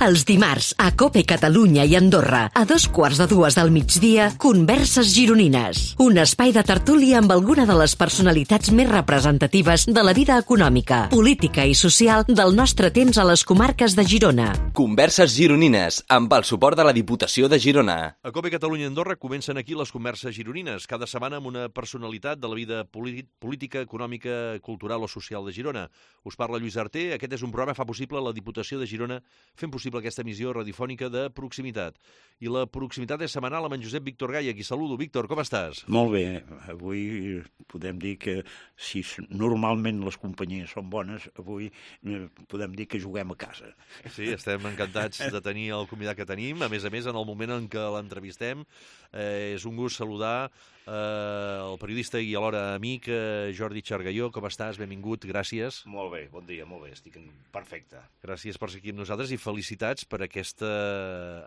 Els dimarts, a COPE Catalunya i Andorra, a 2:15 del migdia, Converses Gironines. Un espai de tertúlia amb alguna de les personalitats més representatives de la vida econòmica, política i social del nostre temps a les comarques de Girona. Converses Gironines, amb el suport de la Diputació de Girona. A COPE Catalunya i Andorra comencen aquí les Converses Gironines, cada setmana amb una personalitat de la vida política, econòmica, cultural o social de Girona. Us parla Lluís Arter. Aquest és un programa que fa possible la Diputació de Girona, fent possible aquesta emissió radiofònica de proximitat. I la proximitat és setmanal amb en Josep Víctor Gai, a qui saludo. Víctor, com estàs? Molt bé. Avui podem dir que si normalment les companyies són bones, avui podem dir que juguem a casa. Sí, estem encantats de tenir el convidat que tenim. A més, en el moment en què l'entrevistem, és un gust saludar el periodista i alhora amic Jordi Xargalló. Com estàs? Benvingut, gràcies. Molt bé, bon dia, molt bé, estic perfecte. Gràcies per ser aquí amb nosaltres i felicitats per aquesta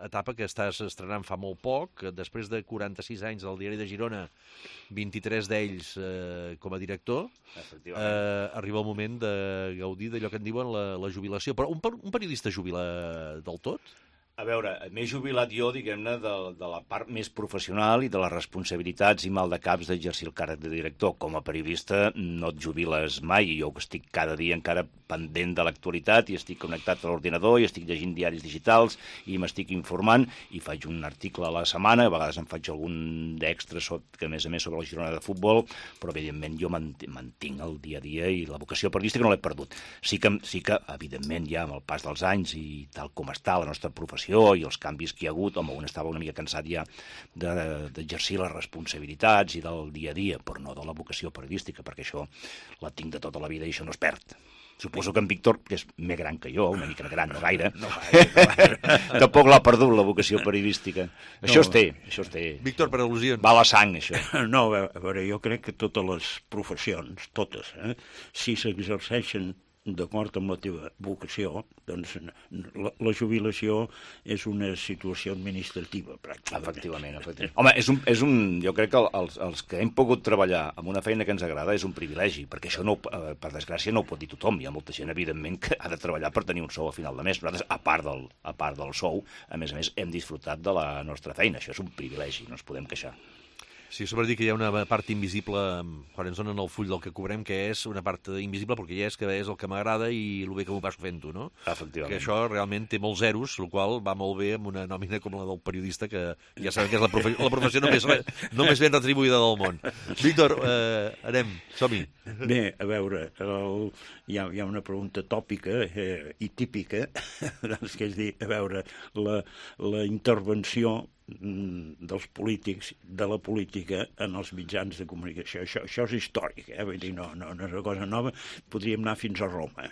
etapa que estàs estrenant fa molt poc. Després de 46 anys al Diari de Girona, 23 d'ells com a director, arriba el moment de gaudir d'allò que en diuen la jubilació. Però un periodista jubila del tot? A veure, m'he jubilat jo, diguem-ne, de la part més professional i de les responsabilitats i maldecaps d'exercir el càrrec de director. Com a periodista no et jubiles mai, jo estic cada dia encara pendent de l'actualitat i estic connectat a l'ordinador i estic llegint diaris digitals i m'estic informant i faig un article a la setmana, a vegades em faig algun d'extra, que a més sobre la Girona de futbol, però evidentment jo mantinc el dia a dia i la vocació periodística no l'he perdut. Sí que, evidentment, ja amb el pas dels anys i tal com està la nostra professió i els canvis que hi ha hagut, home, un estava una mica cansat ja d'exercir les responsabilitats i del dia a dia, però no de la vocació periodística, perquè això la tinc de tota la vida i això no es perd. Suposo que en Víctor, que és més gran que jo, una mica gran, no gaire, tampoc l'ha perdut la vocació periodística. Això es té. Víctor, per al·lusions. Va a la sang, això. No, a veure, jo crec que totes les professions, totes, si s'exerceixen d'acord amb la teva vocació, doncs la jubilació és una situació administrativa, pràcticament. Efectivament. Home, jo crec que els que hem pogut treballar amb una feina que ens agrada és un privilegi, perquè això, per desgràcia, no ho pot dir tothom. Hi ha molta gent, evidentment, que ha de treballar per tenir un sou a final de mes. Nosaltres, a part del sou, a més, hem disfrutat de la nostra feina. Això és un privilegi, no ens podem queixar. Sí, sobre dir que hi ha una part invisible, quan ens donen el full del que cobrem, que és una part invisible, perquè ja és que és el que m'agrada i el bé que m'ho passo fent-ho, no? Efectivament. Que això realment té molts zeros, el qual va molt bé amb una nòmina com la del periodista, que ja sabem que és la professió no més ben retribuïda del món. Víctor, anem, som-hi. Bé, a veure, hi ha una pregunta tòpica i típica, doncs, que és dir, a veure, la intervenció dels polítics, de la política en els mitjans de comunicació. Això és històric, vull dir, no és una cosa nova. Podríem anar fins a Roma,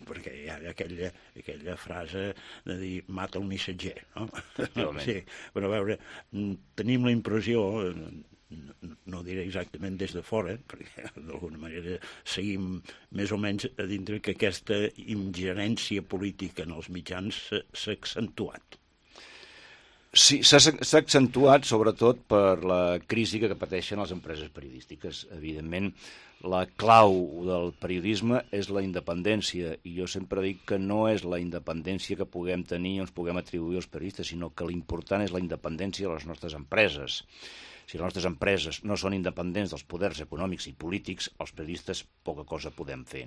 perquè hi ha aquella frase de dir mata el missatger, no? Sí, però a veure, tenim la impressió, no diré exactament des de fora, perquè d'alguna manera seguim més o menys a dintre que aquesta ingerència política en els mitjans s'ha accentuat. Sí, s'ha accentuat sobretot per la crisi que pateixen les empreses periodístiques. Evidentment, la clau del periodisme és la independència, i jo sempre dic que no és la independència que puguem tenir o ens puguem atribuir als periodistes, sinó que l'important és la independència de les nostres empreses. Si les nostres empreses no són independents dels poders econòmics i polítics, els periodistes poca cosa podem fer.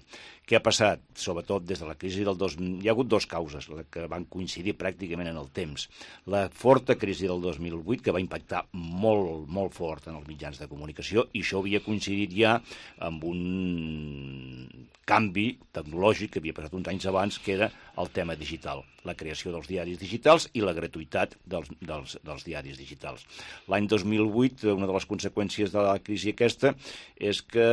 Què ha passat? Sobretot des de la crisi del 2000... Hi ha hagut dues causes que van coincidir pràcticament en el temps. La forta crisi del 2008, que va impactar molt, molt fort en els mitjans de comunicació, i això havia coincidit ja amb un canvi tecnològic que havia passat uns anys abans, que era el tema digital, la creació dels diaris digitals i la gratuïtat dels diaris digitals. L'any 2008, una de les conseqüències de la crisi aquesta és que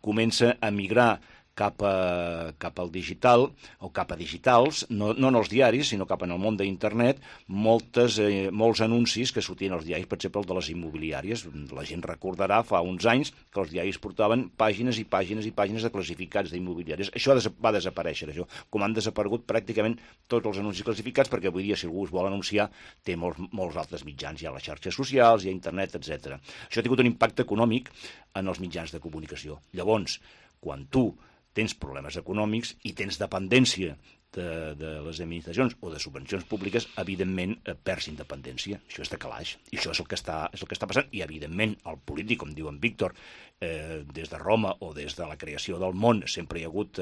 comença a migrar cap al digital o cap a digitals, no en els diaris, sinó cap en el món d'internet, molts anuncis que sortien als diaris, per exemple, el de les immobiliàries. La gent recordarà fa uns anys que els diaris portaven pàgines i pàgines i pàgines de classificats d'immobiliàries. Això va desaparèixer, això. Com han desaparegut pràcticament tots els anuncis classificats, perquè avui dia, si algú es vol anunciar, té molts altres mitjans. Hi ha les xarxes socials, hi ha internet, etc. Això ha tingut un impacte econòmic en els mitjans de comunicació. Llavors, quan tu tens problemes econòmics i tens dependència de les administracions o de subvencions públiques, evidentment perds independència. Això és de calaix. I això és el que està passant. I, evidentment, el polític, com diu en Víctor, des de Roma o des de la creació del món sempre hi ha hagut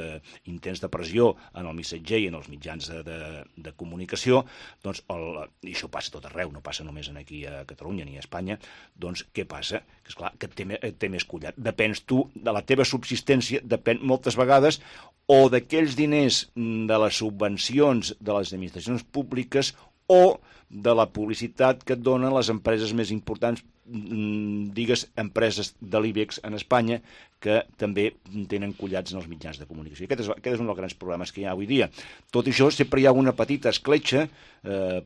intents de pressió en el missatger i en els mitjans de comunicació, doncs, i això passa tot arreu, no passa només aquí a Catalunya ni a Espanya, doncs què passa? Que esclar, que et té més collat. Depens tu de la teva subsistència, depèn moltes vegades o d'aquells diners de les subvencions de les administracions públiques o de la publicitat que et donen les empreses més importants, digues, empreses de l'IBEX en Espanya, que també tenen collats en els mitjans de comunicació. Aquest és un dels grans problemes que hi ha avui dia. Tot això, sempre hi ha una petita escletxa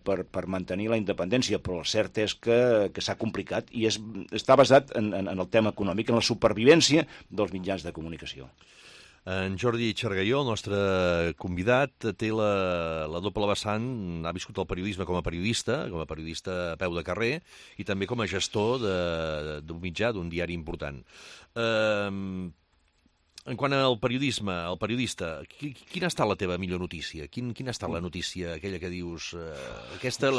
per mantenir la independència, però el cert és que s'ha complicat i està basat en el tema econòmic, en la supervivència dels mitjans de comunicació. En Jordi Xargaió, el nostre convidat, té la doble vessant, ha viscut el periodisme com a periodista a peu de carrer, i també com a gestor d'un mitjà, d'un diari important. En quant al periodisme, el periodista, quina ha estat la teva millor notícia? Quina ha estat la notícia, aquella que dius, aquesta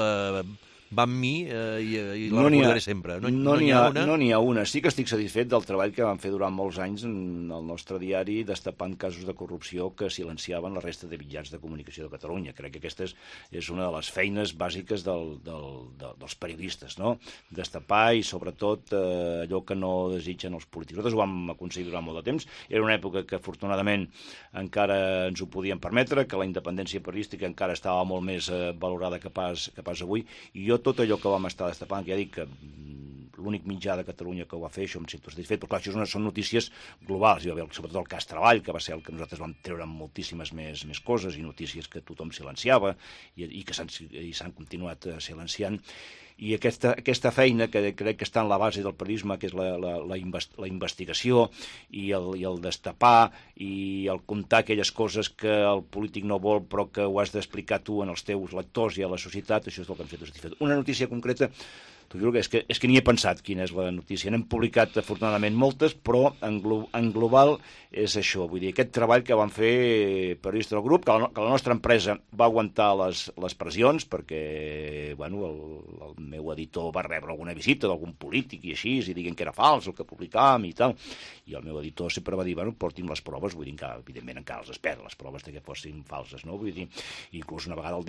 va amb mi i la recordaré sempre? No n'hi ha una. Sí que estic satisfet del treball que vam fer durant molts anys en el nostre diari, destapant casos de corrupció que silenciaven la resta de mitjans de comunicació de Catalunya. Crec que aquesta és una de les feines bàsiques dels periodistes, no? Destapar i, sobretot, allò que no desitgen els polítics. Nosaltres ho vam aconseguir durant molt de temps. Era una època que, afortunadament, encara ens ho podíem permetre, que la independència periodística encara estava molt més valorada que pas avui, i jo tot allò que vam estar destapant, que ja dic que l'únic mitjà de Catalunya que ho va fer, això em sento satisfet, però clar, això són notícies globals. Hi va haver sobretot el cas Treball, que va ser el que nosaltres vam treure amb moltíssimes més coses i notícies que tothom silenciava i que s'han continuat silenciant. I aquesta feina que crec que està en la base del periodisme, que és la investigació i el destapar i el contar aquelles coses que el polític no vol però que ho has d'explicar tu en els teus lectors i a la societat, això és el que em sento satisfet. Una notícia concreta, t'ho juro que és que ni he pensat quina és la notícia. N'hem publicat afortunadament moltes, però en global és això. Vull dir, aquest treball que van fer periodistes del grup, que la nostra empresa va aguantar les pressions, perquè bueno, el meu editor va rebre alguna visita d'algun polític i així, i diguen que era fals el que publicàvem i tal. I el meu editor sempre va dir, bueno, porti'm les proves, vull dir que evidentment encara els espera, les proves de que fossin falses, no? Vull dir, inclús una vegada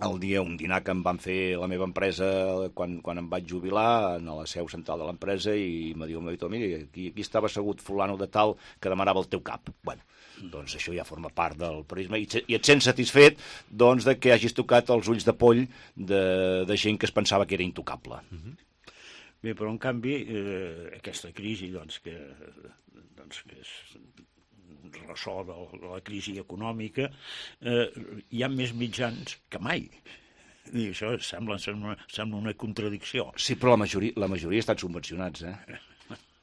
un dinar que em van fer la meva empresa quan em vaig jubilar a la seu central de l'empresa, i me diu el meu editor, mira, aquí estava assegut fulano de tal que demanava el teu cap. Bueno, doncs això ja forma part del periodisme i et sents satisfet doncs, de que hagis tocat els ulls de poll de gent que es pensava que era intocable. Bé, però en canvi aquesta crisi que és ressò de la crisi econòmica, hi ha més mitjans que mai. I això sembla una contradicció. Sí, però la majoria estan subvencionats,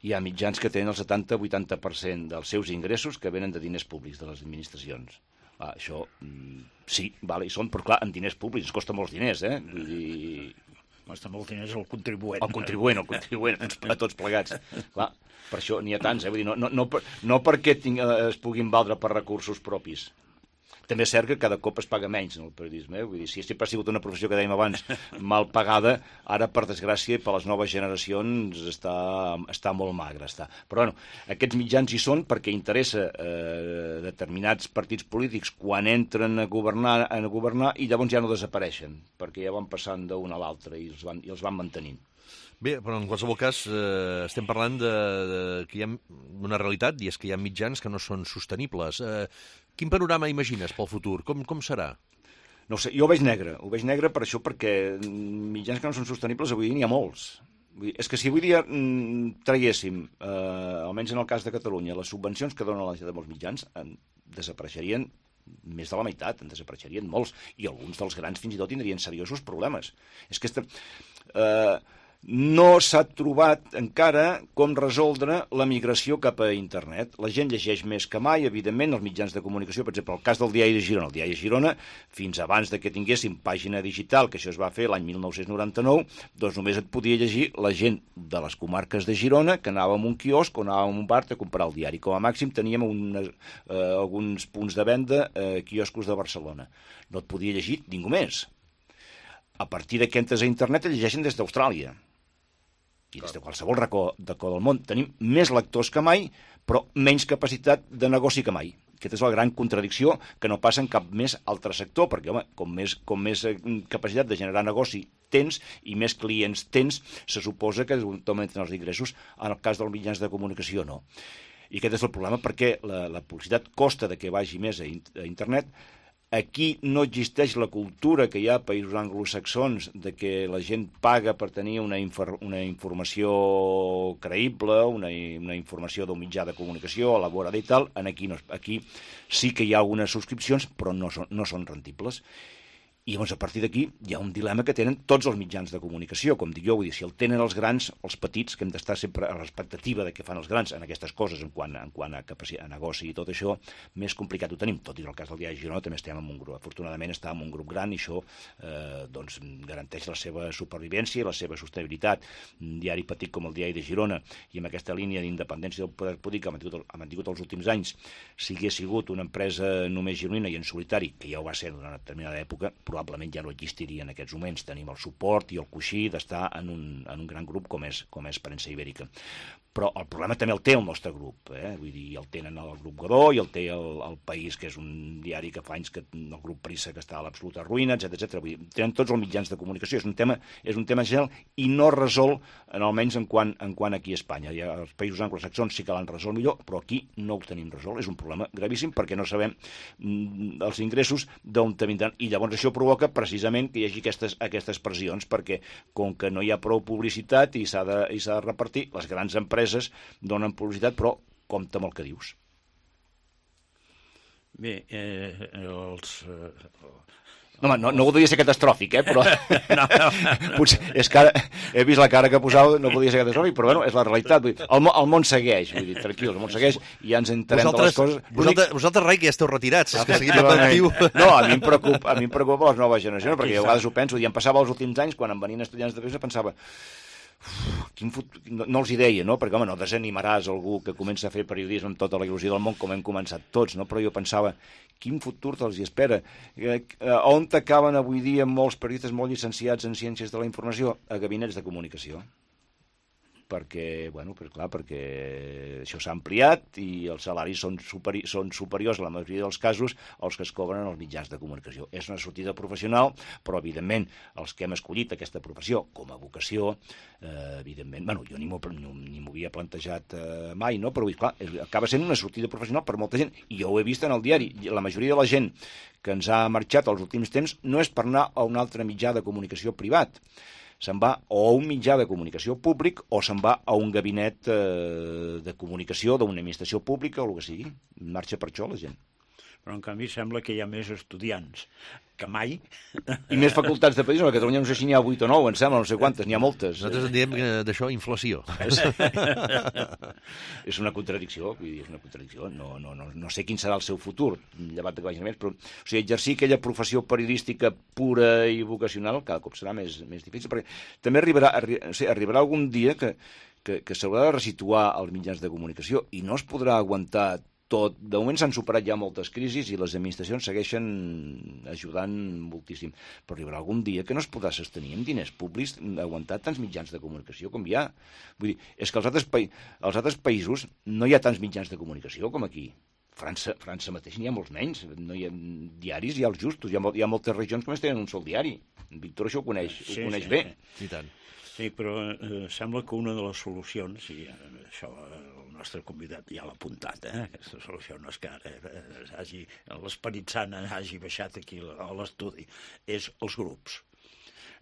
Hi ha mitjans que tenen el 70-80% dels seus ingressos que venen de diners públics de les administracions. Això, sí, vale, hi són, però clar, en diners públics, ens costa molts diners, Vull dir... Costa molts diners el contribuent. El contribuent, a tots plegats. Clar, per això n'hi ha tants, Vull dir, no perquè es puguin valdre per recursos propis. També és cert que cada cop es paga menys en el periodisme. Vull dir, si sempre ha sigut una professió que dèiem abans mal pagada, ara, per desgràcia, per les noves generacions està molt magra. Però bueno, aquests mitjans hi són perquè interessa determinats partits polítics quan entren a governar i llavors ja no desapareixen, perquè ja van passant d'un a l'altre i els van mantenint. Bé, però en qualsevol cas estem parlant que hi ha una realitat, i és que hi ha mitjans que no són sostenibles. Quin panorama imagines pel futur? Com serà? No ho sé, jo ho veig negre per això, perquè mitjans que no són sostenibles avui n'hi ha molts. És que si avui dia traguéssim, almenys en el cas de Catalunya, les subvencions que donen la Generalitat de molts mitjans, desapareixerien més de la meitat, en desapareixerien molts, i alguns dels grans fins i tot tindrien seriosos problemes. És que no s'ha trobat encara com resoldre la migració cap a internet. La gent llegeix més que mai, evidentment, els mitjans de comunicació, per exemple, el cas del Diari de Girona. El Diari de Girona, fins abans de que tinguéssim pàgina digital, que això es va fer l'any 1999, doncs només et podia llegir la gent de les comarques de Girona, que anàvem a un quiosc o anàvem a un bar a comprar el diari. Com a màxim teníem alguns punts de venda, quioscos de Barcelona. No et podia llegir ningú més. A partir que entres a internet et llegeixen des d'Austràlia. I des de qualsevol racó del món tenim més lectors que mai, però menys capacitat de negoci que mai. Aquesta és la gran contradicció que no passa en cap més altre sector, perquè, home, com més capacitat de generar negoci tens i més clients tens, se suposa que augmenten els ingressos. En el cas dels mitjans de comunicació, no. I aquest és el problema, perquè la publicitat costa de que vagi més a internet. Aquí no existeix la cultura que hi ha a països anglosaxons de que la gent paga per tenir una informació creïble, una informació d'un mitjà de comunicació elaborada i tal. Aquí sí que hi ha algunes subscripcions, però no són rendibles. I llavors, a partir d'aquí, hi ha un dilema que tenen tots els mitjans de comunicació, com dic jo, vull dir, si el tenen els grans, els petits, que hem d'estar sempre a l'expectativa de què fan els grans en aquestes coses, en quant a capacitat, a negoci i tot això, més complicat ho tenim. Tot i el cas del Diari de Girona també estem en un grup. Afortunadament estàvem en un grup gran i això doncs, garanteix la seva supervivència i la seva sostenibilitat. Un diari petit com el Diari de Girona i amb aquesta línia d'independència del poder polític que ha mantingut els últims anys, si hagués sigut una empresa només gironina i en solitari, que ja ho va ser durant una determinada època, probablement ja no existiria en aquests moments. Tenim el suport i el coixí d'estar en un gran grup com és Premsa Ibèrica. Però el problema també el té el nostre grup, vull dir, el tenen el grup Godó i el té el País, que és un diari que fa anys que el grup Prisa, que està a l'absoluta ruïna, etc. Vull dir, tenen tots els mitjans de comunicació. És un tema general i no resol, almenys en quant aquí a Espanya. Els països anglosaxons sí que l'han resolt millor, però aquí no ho tenim resolt. És un problema gravíssim perquè no sabem els ingressos d'on vindran. I llavors això provoca precisament que hi hagi aquestes pressions, perquè com que no hi ha prou publicitat i s'ha de repartir, les grans empreses donen publicitat, però compta amb el que dius. Bé, No voldria ser catastròfic, però potser és que ara he vist la cara que posava, no voldria ser catastròfic, però bueno, és la realitat. El món segueix, vull dir, tranquil, el món segueix i ja ens entenem de les coses. Vosaltres, Rai, que ja esteu retirats, és que seguim actiu. No, a mi em preocupa les noves generacions, perquè jo a vegades ho penso, i em passava els últims anys, quan em venien estudiants de periodisme, pensava, no els hi deia, no? Perquè, home, no desanimaràs algú que comença a fer periodisme amb tota la il·lusió del món, com hem començat tots, no? Però jo pensava, quin futur te'ls hi espera? On t'acaben avui dia molts periodistes molt llicenciats en ciències de la informació? A gabinets de comunicació. Perquè això s'ha ampliat i els salaris són superiors, en la majoria dels casos, als que es cobren els mitjans de comunicació. És una sortida professional, però, evidentment, els que hem escollit aquesta professió com a vocació, evidentment, jo ni m'ho havia plantejat mai, no? Però, clar, acaba sent una sortida professional per molta gent, i jo ho he vist en el diari. La majoria de la gent que ens ha marxat els últims temps no és per anar a un altre mitjà de comunicació privat. Se'n va o a un mitjà de comunicació públic o se'n va a un gabinet de comunicació d'una administració pública o el que sigui. Marxa per això la gent. Però en canvi sembla que hi ha més estudiants que mai. I més facultats de periodisme. A Catalunya no sé si n'hi ha 8 o 9, em sembla, no sé quantes, n'hi ha moltes. Nosaltres en diem d'això inflació. És una contradicció, vull dir, és una contradicció. No sé quin serà el seu futur, llevat de que vagin més, però exercir aquella professió periodística pura i vocacional cada cop serà més difícil, perquè també arribarà algun dia que s'haurà de resituar els mitjans de comunicació i no es podrà aguantar tot. De moment s'han superat ja moltes crisis i les administracions segueixen ajudant moltíssim. Però arribarà algun dia que no es podrà sostenir amb diners públics aguantar tants mitjans de comunicació com hi ha. Vull dir, és que als altres països no hi ha tants mitjans de comunicació com aquí. França mateix n'hi ha molts menys. No hi ha diaris, hi ha els justos. Hi ha moltes regions que només tenen un sol diari. En Víctor això ho coneix bé. I tant. Sí, però sembla que una de les solucions, i això el nostre convidat ja l'ha apuntat, aquesta solució no és que ara l'esperit sant hagi baixat aquí a l'estudi, és els grups.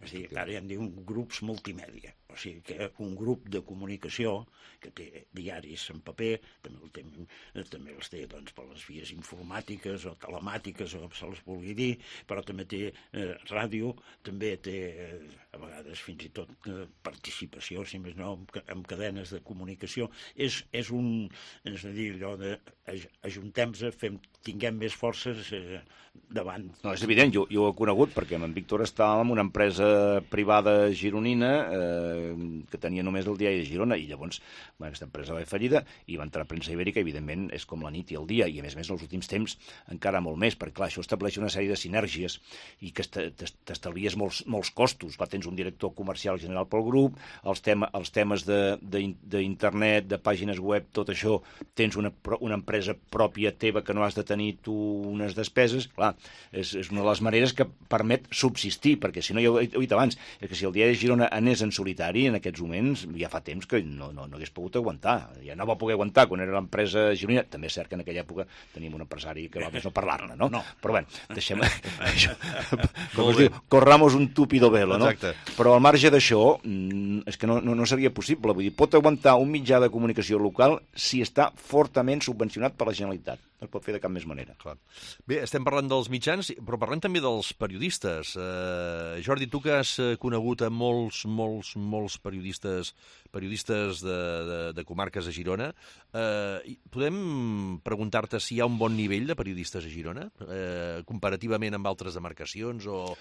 És a dir, ara ja en diuen grups multimèdia. O O sigui que un grup de comunicació que té diaris en paper, també els té doncs, per les vies informàtiques o telemàtiques, o com se les vulgui dir, però també té ràdio, també té a vegades fins i tot participació, si més no, en cadenes de comunicació. És a dir, allò de ajuntem-se, tinguem més forces davant. No, és evident, jo ho he conegut perquè amb en Víctor estàvem en una empresa privada gironina que tenia només el diari de Girona i llavors aquesta empresa va fer fallida i va entrar a premsa ibèrica, evidentment és com la nit i el dia i a més els últims temps encara molt més, perquè clar, això estableix una sèrie de sinergies i que t'estalvies molts costos. Tens un director comercial general pel grup, els temes d'internet, de pàgines web, tot això, tens una empresa pròpia teva que no has de tenir tu unes despeses. Clar, és una de les maneres que permet subsistir, perquè si no, ja ho he dit abans, és que si el diari de Girona anés en solitari en aquests moments, ja fa temps que no hagués pogut aguantar. Ja no va poder aguantar quan era l'empresa gironina. També és cert que en aquella època teníem un empresari que va més no parlar-ne, no? Però bé, deixem això. Com es diu, corramos un túpido velo, no? Exacte. Però al marge d'això, és que no seria possible. Vull dir, pot aguantar un mitjà de comunicació local si està fortament subvencionat per la Generalitat. No es pot fer de cap més manera. Clar. Bé, estem parlant dels mitjans, però parlem també dels periodistes. Jordi, tu que has conegut a molts periodistes de comarques a Girona, podem preguntar-te si hi ha un bon nivell de periodistes a Girona, comparativament amb altres demarcacions o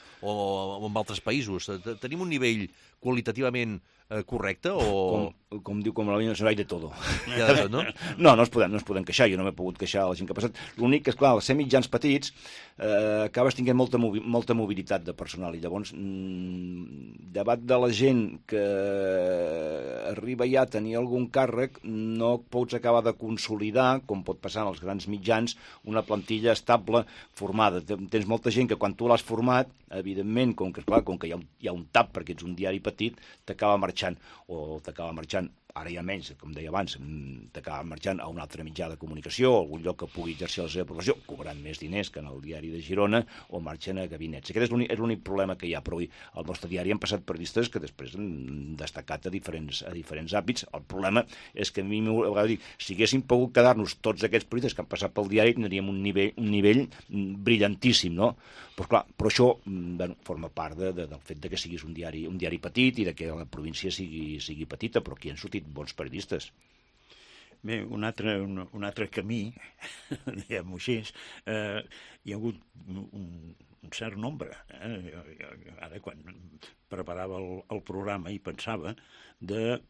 amb altres països? Tenim un nivell qualitativament correcte o... Com diu com la línia nacional, de todo. Ja de tot, no? No es podem queixar, jo no m'he pogut queixar a la gent que ha passat. L'únic que, esclar, al ser mitjans petits, acabes tinguent molta mobilitat de personal i llavors, davant de la gent que arriba ja a tenir algun càrrec, no pots acabar de consolidar, com pot passar en els grans mitjans, una plantilla estable formada. Tens molta gent que quan tu l'has format, evidentment, com que hi ha un tap perquè ets un diari petit, t'acaba marxant ara ja menys, com deia abans, t'acaba marxant a un altre mitjà de comunicació, a algun lloc que pugui exercir la seva professió, cobrant més diners que en el diari de Girona, o marxen a gabinets. Aquest és l'únic problema que hi ha, però al nostre diari han passat periodistes que després han destacat a diferents àmbits. El problema és que a mi a vegades dic, si haguéssim pogut quedar-nos tots aquests periodistes que han passat pel diari, tindríem un nivell brillantíssim, no? Però això forma part del fet que siguis un diari petit i que la província sigui petita, però aquí han sortit bons periodistes. Bé, un altre camí, diguem-ho així, hi ha hagut un cert nombre. Ara, quan preparava el programa i pensava de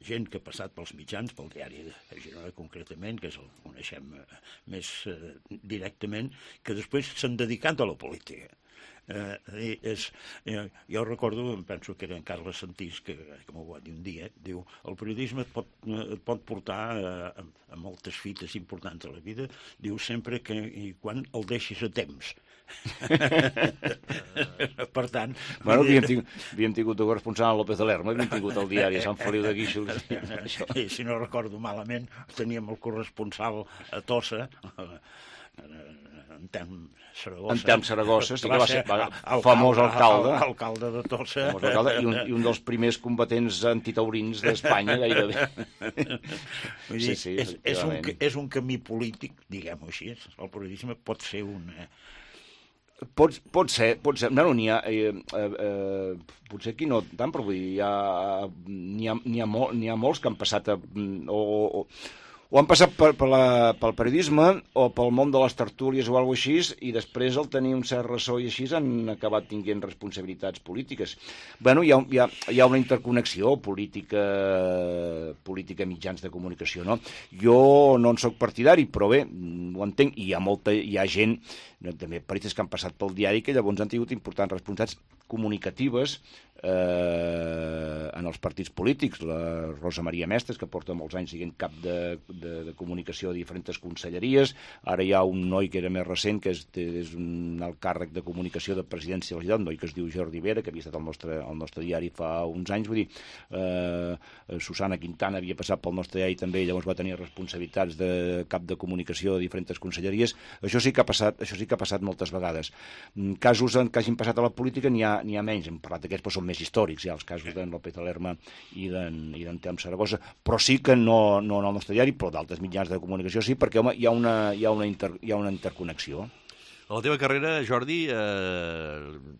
gent que ha passat pels mitjans, pel diari de Girona concretament, que el coneixem més directament, que després s'han dedicat a la política. Jo recordo, em penso que era en Carles Santís que m'ho va dir un dia, diu, el periodisme et pot portar a moltes fites importants a la vida, diu sempre que quan el deixis a temps. Per tant... Bueno, havíem tingut el corresponsal López de Lerma, havíem tingut el diari Sant Feliu de Guíxols. Si no recordo malament, teníem el corresponsal a Tossa, Antelm Saragossa, sí que va ser famós alcalde de Tossa. I un dels primers combatents antitaurins d'Espanya, gairebé. És un camí polític, diguem-ho així. El periodisme pot ser un... Pot ser. No, n'hi ha... Potser aquí no tant, però vull dir, n'hi ha molts que han passat o han passat pel periodisme o pel món de les tertúlies o alguna cosa així, i després al tenir un cert ressò i així han acabat tinguent responsabilitats polítiques. Bueno, hi ha una interconnexió política mitjans de comunicació, no? Jo no en soc partidari, però bé, ho entenc, i hi ha gent, també periodistes que han passat pel diari, que llavors han tingut importants responsabilitats comunicatives en els partits polítics. La Rosa Maria Mestres, que porta molts anys sent cap de comunicació de diferents conselleries. Ara hi ha un noi que era més recent, que és un alt càrrec de comunicació de presidència de la ciutat, un noi que es diu Jordi Vera, que havia estat al nostre diari fa uns anys. Vull dir, Susana Quintana havia passat pel nostre diari també, llavors va tenir responsabilitats de cap de comunicació de diferents conselleries. Això sí que ha passat moltes vegades. Casos que hagin passat a la política n'hi ha n'hi ha menys, hem parlat d'aquests, però són més històrics, ja els casos d'en López de Lerma i d'en Telm Saragossa, però sí que no en el nostre diari, però d'altres mitjans de comunicació sí, perquè, home, hi ha una interconnexió. A la teva carrera, Jordi,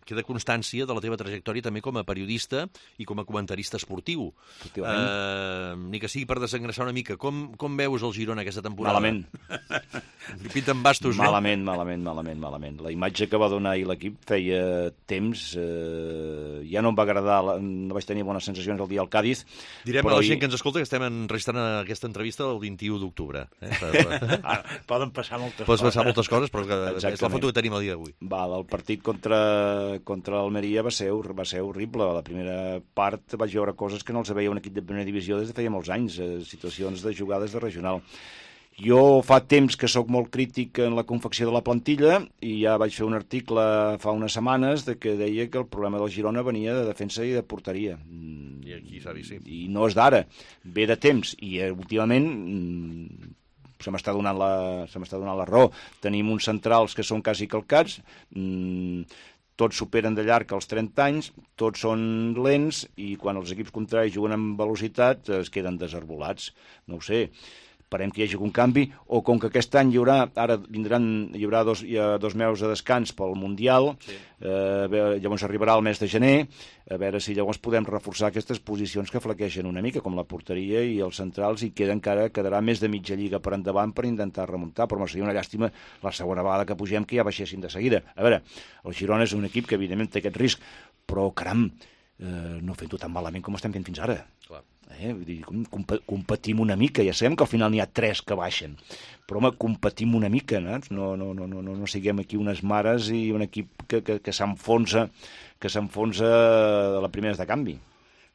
queda constància de la teva trajectòria també com a periodista i com a comentarista esportiu. Ni que sigui per desengressar una mica. Com veus el Girona aquesta temporada? Malament. Pinten bastos, no? Malament. La imatge que va donar ahir l'equip feia temps, ja no em va agradar, no vaig tenir bones sensacions el dia al Càdiz. Direm a la gent que ens escolta que estem enregistrant aquesta entrevista el 21 d'octubre. Poden passar moltes coses. Poden passar moltes coses, però és la foto que tenim el dia d'avui. El partit contra l'Almeria va ser horrible. A la primera part vaig veure coses que no els veia un equip de primera divisió des de feia molts anys, situacions de jugades de regional. Jo fa temps que sóc molt crític en la confecció de la plantilla i ja vaig fer un article fa unes setmanes que deia que el problema del Girona venia de defensa i de porteria. I aquí s'ha vist, sí. I no és d'ara, ve de temps. I últimament se m'està donant la raó. Tenim uns centrals que són quasi calcats, tots superen de llarg els 30 anys, tots són lents i quan els equips contraris juguen amb velocitat es queden desarbolats. No ho sé. Esperem que hi hagi un canvi, o com que aquest any hi haurà 2 mesos de descans pel Mundial, sí. Llavors arribarà el mes de gener, a veure si llavors podem reforçar aquestes posicions que flaqueixen una mica, com la porteria i els centrals, i quedarà més de mitja lliga per endavant per intentar remuntar, però seria una llàstima la segona vegada que pugem que ja baixessin de seguida. A veure, el Girona és un equip que evidentment té aquest risc, però caram, no fent-ho tan malament com estem fent fins ara. Clar. Vull dir, competim una mica, ja sabem que al final n'hi ha 3 que baixen, però home, competim una mica, no siguem aquí unes mares i un equip que s'enfonsa a la primera de canvi.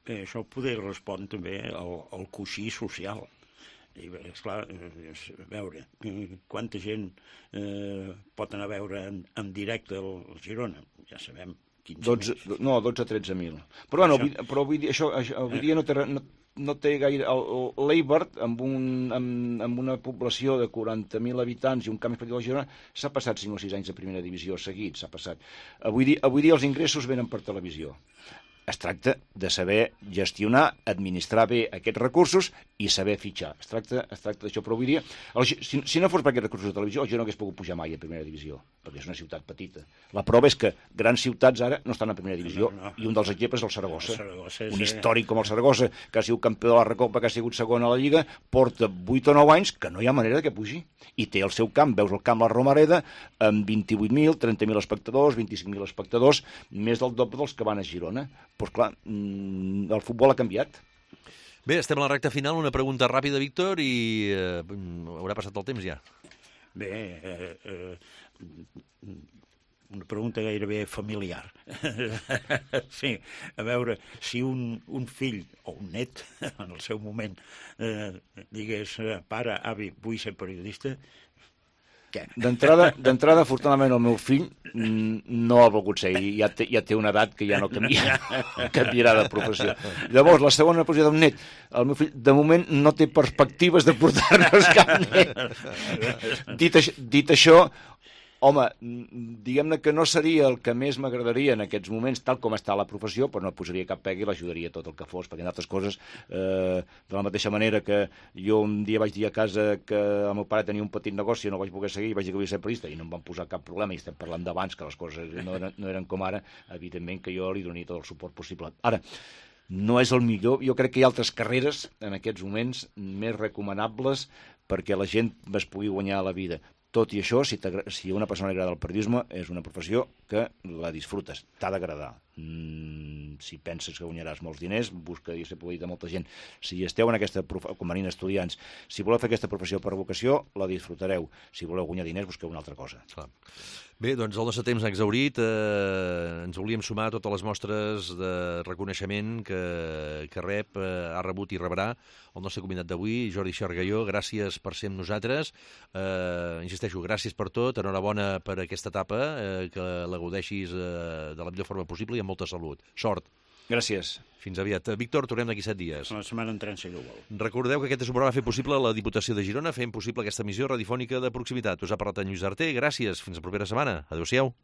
Bé, això poder respondre també al coixí social. I bé, esclar, a veure, quanta gent pot anar a veure en directe el Girona, ja sabem. 12 o 13.000. Però avui dia no té gaire... L'Eibar, amb una població de 40.000 habitants i un camp esportiu de Girona, s'ha passat 5 o 6 anys de primera divisió seguits, s'ha passat. Avui dia els ingressos venen per televisió. Es tracta de saber gestionar, administrar bé aquests recursos i saber fitxar. Es tracta d'això, però avui dia, si no fos per aquests recursos de televisió, el Girona no hagués pogut pujar mai a primera divisió, perquè és una ciutat petita. La prova és que grans ciutats ara no estan a primera divisió, i un dels exemples és el Saragossa. Un històric com el Saragossa, que ha sigut campió de la Recopa, que ha sigut segon a la Lliga, porta 8 o 9 anys que no hi ha manera que pugi. I té el seu camp, veus el camp La Romareda, amb 28.000, 30.000 espectadors, 25.000 espectadors, més del doble dels que van a Girona. Doncs clar, el futbol ha canviat. Bé, estem a la recta final. Una pregunta ràpida, Víctor, i haurà passat el temps ja. Bé, una pregunta gairebé familiar. Sí, a veure, si un fill o un net, en el seu moment, digués, pare, avi, vull ser periodista, què? D'entrada, afortunadament, el meu fill no ha volgut ser, i ja té una edat que ja no canviarà de professió. Llavors, la segona posició d'un net, el meu fill, de moment, no té perspectives de portar-nos cap net. Dit això, home, diguem-ne que no seria el que més m'agradaria en aquests moments, tal com està la professió, però no posaria cap pega i l'ajudaria tot el que fos, perquè en altres coses, de la mateixa manera que jo un dia vaig dir a casa que el meu pare tenia un petit negoci i no vaig poder seguir, vaig dir que volia ser periodista i no em van posar cap problema, i estem parlant d'abans que les coses no eren com ara, evidentment que jo li donaria tot el suport possible. Ara, no és el millor, jo crec que hi ha altres carreres en aquests moments més recomanables perquè la gent es pugui guanyar la vida. Tot i això, si a una persona li agrada el periodisme, és una professió que la disfrutes, t'ha d'agradar. Si penses que guanyaràs molts diners, busca i ser dit a molta gent. Si esteu en aquesta professió, com venint estudiants, si voleu fer aquesta professió per vocació, la disfrutareu. Si voleu guanyar diners, busqueu una altra cosa. Clar. Bé, doncs el nostre temps ha exhaurit. Ens volíem sumar a totes les mostres de reconeixement que ha rebut i rebrà el nostre convidat d'avui, Jordi Xargalló. Gràcies per ser amb nosaltres. Insisteixo, gràcies per tot. Enhorabona per aquesta etapa, que la gaudeixis de la millor forma possible i amb molta salut. Sort. Gràcies. Fins aviat. Víctor, tornem d'aquí 7 dies. La setmana entrant, si no vol. Recordeu que aquest és un programa fet possible a la Diputació de Girona, fent possible aquesta emissió radiofònica de proximitat. Us ha parlat en Lluís Arter. Gràcies. Fins la propera setmana. Adéu-siau.